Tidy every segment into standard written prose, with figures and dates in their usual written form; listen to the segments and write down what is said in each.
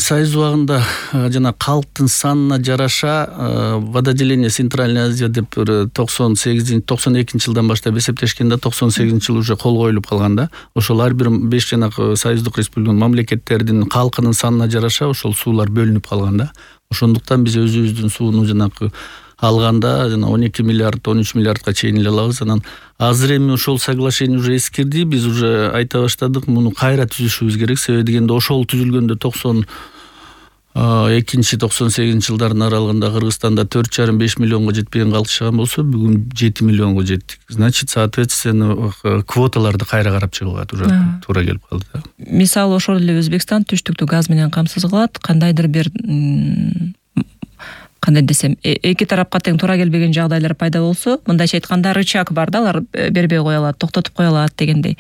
Союз убагында жана калктын санына жараша вододеление Центральная Азия деп 92 жылдан баштап эсептешкенде 98 жыл уже кол коюлуп калган да. Ошол ар бир 5 жанагы союздук республиканын мамлекеттердин калкынын санына жараша ошол суулар бөлүнүп калган да. Ошондуктан биз өзүбүздүн сууну жанагы алганда жана 12 миллиард 13 миллиардка чейин эле алабыз. Анан азыр эми ошол соглашение уже эскирди. Биз уже айта баштадык, муну кайра түзүшүбүз керек. Себеби дегенде ошол түзүлгөндө 92-98 жылдардын аралыгында Кыргызстанда 4,5 миллионго жетпеген калк чыган болсо, бүгүн 7 миллионго жеттик. Значит, соответственно, квоталарды кайра карап чыгууга туура келип калды да. Мисалы ошол эле Өзбекстан түштүктү газ менен камсыз кылат. Кандайдыр бир кандай десем, эки тарапка тең туура келбеген жагдайлар пайда болсо, мындайча айтканда рычаг бар да, алар бербей кое алат, токтотуп кое алат дегендей.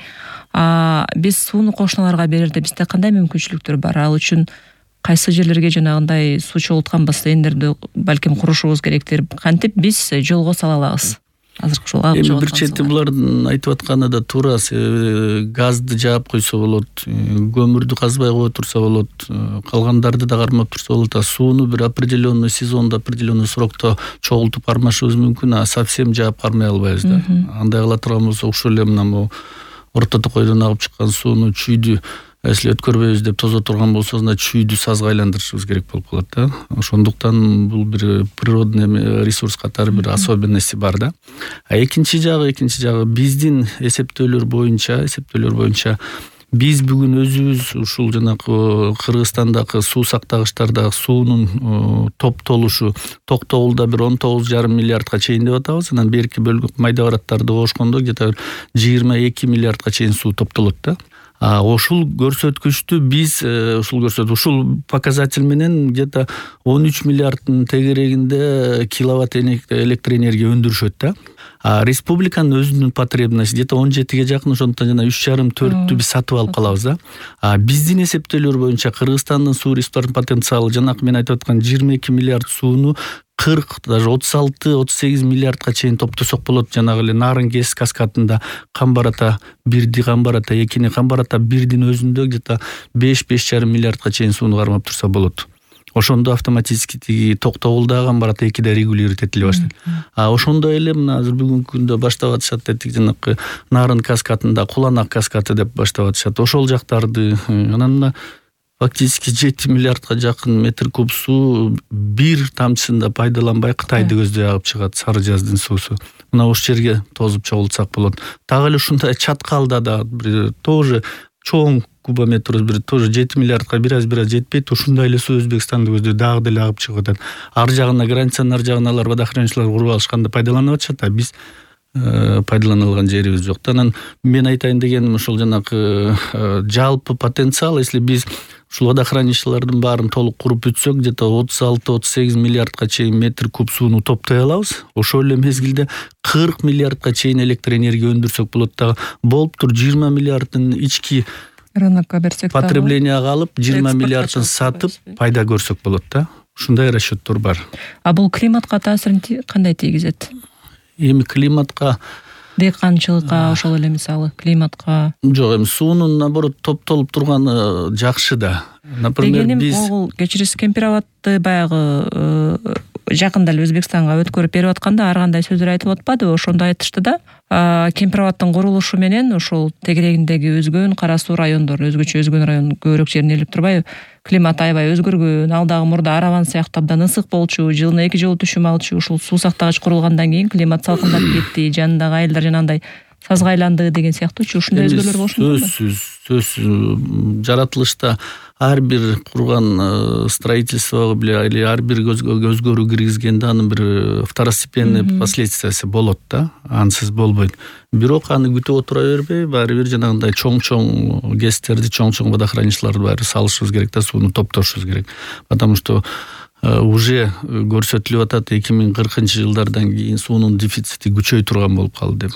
Биз сууну кошуналарга берерде бизде кандай мүмкүнчүлүктөр бар? Ал үчүн кайсы жерлерге жанагындай суу чогулткан бассейндерди балким курушубуз керектир. Кантип биз жолго сала алабыз? Азыркы ушул бир чети булардын айтып атканы да туура. Газды жаап койсо болот, көмүрдү казбай кое турса болот, калгандарды да кармап турса болот. Сууну бир определенный сезондо, определенный срокто чогултуп кармашыбыз мүмкүн, совсем жаап кармай албайбыз да. Андай кыла турган болсок, ушул эле мына орто токойдон агып чыккан сууну чүйдү если өткөрбөйбүз деп тозо турган болсо, чүйдү сазга айландырышыбыз керек болуп калат да. Ошондуктан бул бир природный ресурс катары бир особенности бар да. Экинчи жагы биздин эсептөөлөр боюнча биз бүгүн өзүбүз ушул жанагы Кыргызстандагы суу сактагычтардагы суунун топтолушу Токтогулда бир 19,5 миллиардка чейин деп атабыз. Анан берки бөлгө майда бараттарды кошкондо где-то 22 миллиардка чейин суу топтолот да. Ушул көрсөткүчтү биз ушул показатель менен где-то 13 миллиарддын тегерегинде киловатт электроэнергия өндүрүшөт да. Республиканын өзүнүн потребности где-то 17ге жакын, ошондуктан жана 3,5-4 биз сатып алып калабыз да. Биздин эсептөөлөр боюнча Кыргызстандын суу ресурстарынын потенциалы жанакы мен айтып аткан 22 миллиард сууну 40, даже 36-38 миллиардка чейин топтосок болот. Жанагы эле Нарын КЭС каскадында Камбарата 1ди, Камбарата 2-ни, Камбарата 1дин өзүндө где-то 5,5 миллиардка чейин сууну кармап турса болот. Ошондо автоматически тиги Токтогулда Камбарата 2де регулировать этиле баштайт. Ошондой эле мына азыр бүгүнкү күндө баштап атышат дедик, жанакы Нарын каскадында Куланак каскады деп баштап атышат. Ошол жактарды анан фактически 7 миллиардка жакын метр куб суу бир тамчысында пайдаланбай Кытайды көздөй агып чыгат, Сары жаздын суусу. Мына ушул жерге тозуп чогултсак болот. Так эле ушундай чаткалда да тоже чоң кубометр бир тоже 7 миллиардка бир аз жетпейт. Ушундай эле суу Өзбекстанды көздөй дагы деле агып чыгып атат. Ар жагына границанын ар жагына алар водохранилищелер куруп алышканда пайдаланып атышат, биз пайдалана алган жерибиз жок. Анан мен айтайын дегеним ушул жанакы жалпы потенциал, если биз ушул водохранилищелердин баарын толук куруп бүтсөк, где-то 36-38 миллиардка чейин метр куб сууну топтой алабыз. Ошол эле мезгилде 40 миллиардка чейин электроэнергия өндүрсөк болот да. Болуптур 20 миллиарддын ички рынокко берсек, потреблениега алып, 20 миллиардын сатып пайда көрсөк болот да. Ушундай расчеттор бар. Бул климатка таасирин кандай тийгизет? Эми климатка, дыйканчылыкка, ошол эле мисалы климатка. Жок, эми суунун наоборот топтолуп турганы жакшы да. Например, биз кечирисиз Кемпироватты баягы жакында эле Өзбекстанга өткөрүп берип атканда ар кандай сөздөр айтып атпадыбы? Ошондо айтышты да. Кемпироваттын курулушу менен ошол тегерегиндеги өзгөн кара суу райондор, өзгөн район көбүрөөк жерин ээлеп турбайбы? Климат аябай өзгөргөн, ал дагы мурда Араван сыяктуу абдан ысык болчу, жылына 2 жолу түшүм алчу. Ушул суу сактагыч курулгандан кийин климат салкындап кетти, жанындагы айылдар жанагындай сазга айланды деген сыяктуучу ушундай өзгөрүүлөр болушун. Сөзсүз жаратылышта ар бир курган строительство или ар бир өзгөрүү киргизгенде анын бир второстепенный последствиясы болот да, ансыз болбойт. Бирок аны күтүп отура бербей, баары бир жанагындай чоң ГЭСтерди, чоң водохранилищелерди баары салышыбыз керек да, сууну топтошубуз керек. Потому что уже көрсөтүлүп атат 2040 жылдардан кийин суунун дефицити күчөй турган болуп калды деп.